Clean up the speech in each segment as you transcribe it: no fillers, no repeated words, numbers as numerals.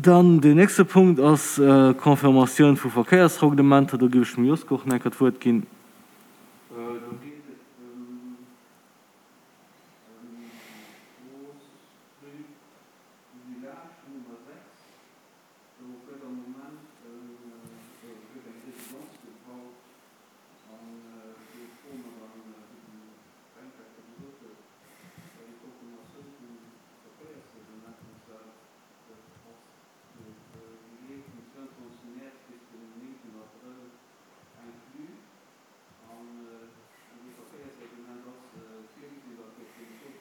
Dann deen nächste Punkt ass d'Confirmatioun vu Verkéiersreglementer. Do géif ech dem Josko och nach eng Kéier d'Wuert ginn. Do geet et ëm déi Strooss Rue du Village Nummer 6. Do gëtt am Moment gëtt eng Residence gebaut an do froe mer dann, wéi den Fränk dat scho gesot huet, bei déi Confirmatioun vum Verkéiersreglement, an zwar dat ass déi leeft vum 22 Mäerz bis den 9 Abrëll inclus. An an deem Verkéiersreglement ass virgesinn, datt op deem zwou,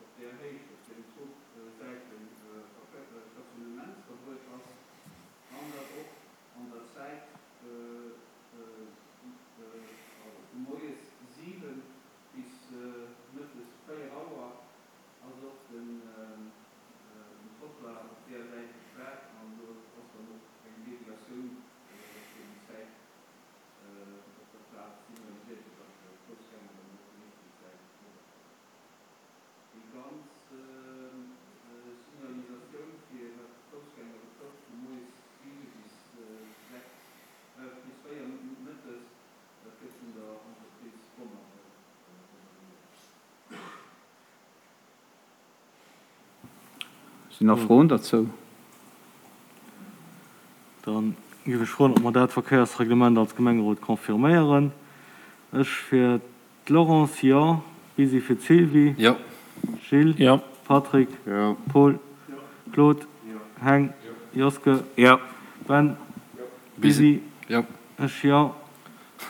op där Héicht, op deenen zwou Säiten Stationnementsverbuet ass an datt och an der Zäit, also vu moies 7 bis mëttes 4 Auer, ass och den Trottoir op där Säit gespaart an do ass dann och eng Deviatioun fir déi Zäit op der Plaz signaliséiert, fir datt d'Foussgänger dann och déi richteg Säit eriwwerkommen. Déi ganz Signalisatioun fir wat d'Foussgänger betrëfft, vu moies 7 bis 6, bis 4 mëttes, dat gëtt vun der Entreprise Bonner organiséiert. Sinn nach Froen derzou? Da géif ech froen, ob mer dat Verkéiersreglement als Gemengerot confirméieren. Ech fir d'Laurence, jo. Bisi fir d'Sylvie. Jo. Gilles. Jo. Patrick. Jo. Paul. Jo. Claude. Jo. Heng. Jo. Joske. Jo. Ben. Jo. Bisi. Jo. Ech, jo.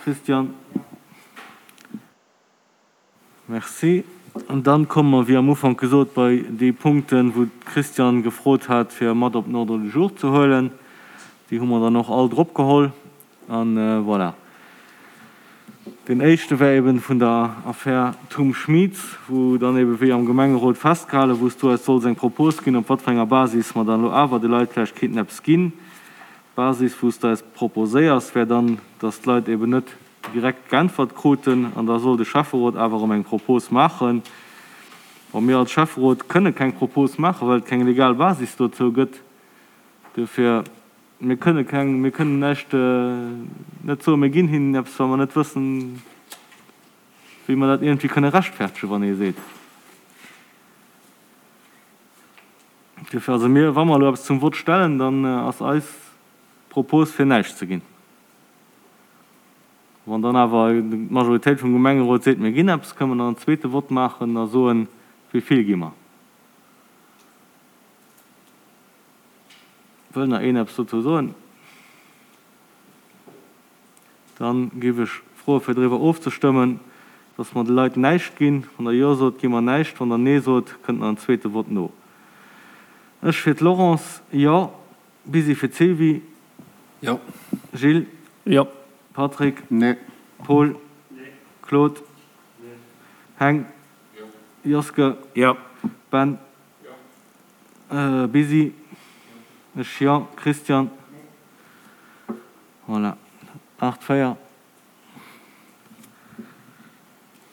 Christian. Jo. Merci. An dann komme mer, wéi am Ufank gesot, bei déi Punkten, wou d'Christiane gefrot hat, fir mat op den Ordre du jour ze huelen. Déi hu mer dann och all drop geholl. A voilà. Deen éischte wär eben vun der Affär Thum Schmieds, wou dann eben, wéi am Gemengerot festgehalen, wou s du eis solls eng Propos ginn, op wat fir enger Basis mer dann elo awer de Leit vläicht kéinten eppes ginn. D'Basis, wou s de eis proposéiers, wär dann, dass d'Leit eben net direkt geäntwert kruten an da soll de Schäfferot awer erëm eng Propos maachen. Bon, mir als Schäfferot kënne keng Propos maachen, well et keng legal Basis dozou gëtt. Duerfir, mir kënne keng, mir kënnen näischt, net soen, mir ginn hinnen eppes, wa mer net wëssen, wéi mer dat iergendwéi kënne rechtfertegen, wann ee seet. Duerfir, also mir, wa mer elo eppes zum Vott stellen, dann ass eis Propos, fir näischt ze ginn. Wann dann awer d'Majoritéit vum Gemengerot seet, mir ginn eppes, kënnen mer nach en zweete Vott maachen a soen, wéi vill gi mer. Wëll nach een eppes dozou soen? Da géif ech froe fir driwwer ofzestëmmen, dass mer de Leit näischt ginn. Wann Der Jo sot, gi mer näischt. Wann Der Nee sot, kënnt nach en zweete Vott no. Ech fir d'Laurence, Jo. Bisi fir d'Sylvie. Jo. Gilles. Jo. Patrick. Nee. Paul. Nee. Claude. Nee. Heng. Jo. Joske. Jo. Ben. Jo. Bisi. Jo. Ech jo. Christian. Nee. Voilà. 8, 4.